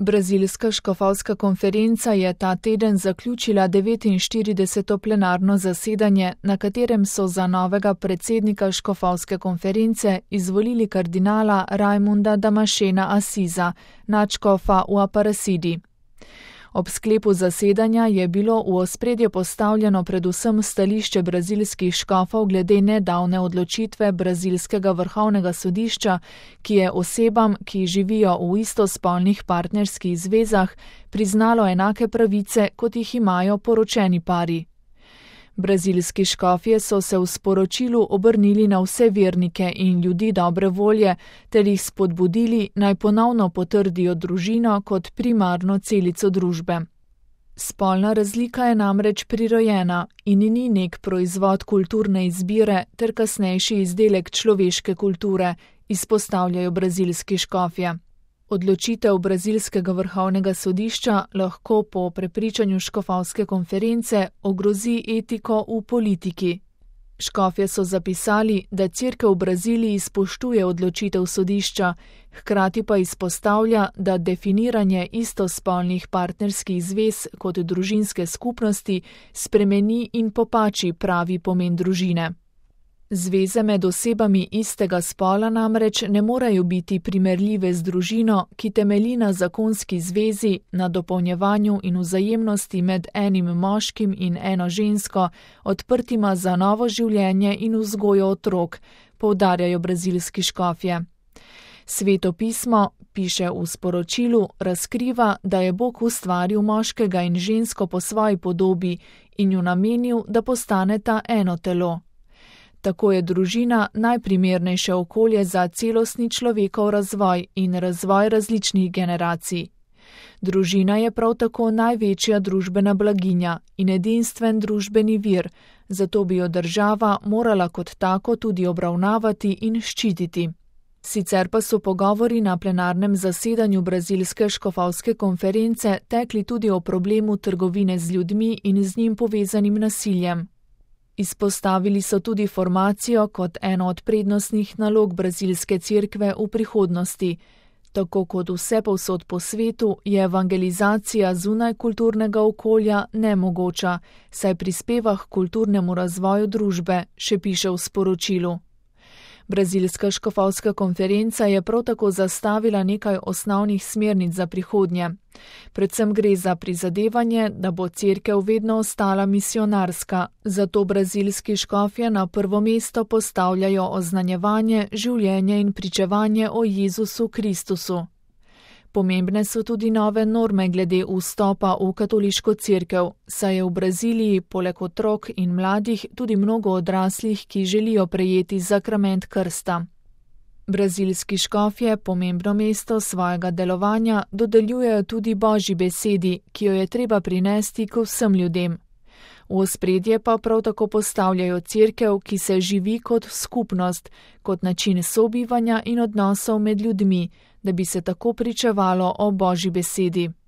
Brazilska škofovska konferenca je ta teden zaključila 49. plenarno zasedanje, na katerem so za novega predsednika škofovske konference izvolili kardinala Raimunda Damascena Assiza, nadškofa v Aparecidi. Ob sklepu zasedanja je bilo v ospredje postavljeno predvsem stališče brazilskih škofov glede nedavne odločitve brazilskega vrhovnega sodišča, ki je osebam, ki živijo v istospolnih partnerskih zvezah, priznalo enake pravice, kot jih imajo poročeni pari. Brazilski škofje so se v sporočilu obrnili na vse vernike in ljudi dobre volje ter jih spodbudili, naj ponovno potrdijo družino kot primarno celico družbe. Spolna razlika je namreč prirojena in ni nek proizvod kulturne izbire ter kasnejši izdelek človeške kulture, izpostavljajo brazilski škofje. Odločitev brazilskega vrhovnega sodišča lahko po prepričanju škofovske konference ogrozi etiko v politiki. Škofje so zapisali, da Cerkev v Braziliji spoštuje odločitev sodišča, hkrati pa izpostavlja, da definiranje istospolnih partnerskih zvez kot družinske skupnosti spremeni in popači pravi pomen družine. Zveze med osebami istega spola namreč ne morejo biti primerljive z družino, ki temelji na zakonski zvezi, na dopolnjevanju in vzajemnosti med enim moškim in eno žensko, odprtima za novo življenje in vzgojo otrok, poudarjajo brazilski škofje. Sveto pismo, piše v sporočilu, razkriva, da je Bog ustvaril moškega in žensko po svoji podobi in ju namenil, da postaneta eno telo. Tako je družina najprimernejše okolje za celostni človekov razvoj in razvoj različnih generacij. Družina je prav tako največja družbena blaginja in edinstven družbeni vir, zato bi jo država morala kot tako tudi obravnavati in ščititi. Sicer pa so pogovori na plenarnem zasedanju brazilske škofovske konference tekli tudi o problemu trgovine z ljudmi in z njim povezanim nasiljem. Izpostavili so tudi formacijo kot eno od prednostnih nalog brazilske cerkve v prihodnosti. Tako kot vse povsod po svetu je evangelizacija zunaj kulturnega okolja nemogoča, saj prispeva k kulturnemu razvoju družbe, še piše v sporočilu. Brazilska škofovska konferenca je prav tako zastavila nekaj osnovnih smernic za prihodnje. Predvsem gre za prizadevanje, da bo cerkev vedno ostala misionarska, zato brazilski škofje na prvo mesto postavljajo oznanjevanje, življenje in pričevanje o Jezusu Kristusu. Pomembne so tudi nove norme glede vstopa v katoliško cerkev, saj je v Braziliji poleg otrok in mladih tudi mnogo odraslih, ki želijo prejeti sakrament krsta. Brazilski škofje pomembno mesto svojega delovanja dodeljujejo tudi Božji besedi, ki jo je treba prinesti k vsem ljudem. V ospredje pa prav tako postavljajo cerkev, ki se živi kot skupnost, kot način sobivanja in odnosov med ljudmi, da bi se tako pričevalo o Božji besedi.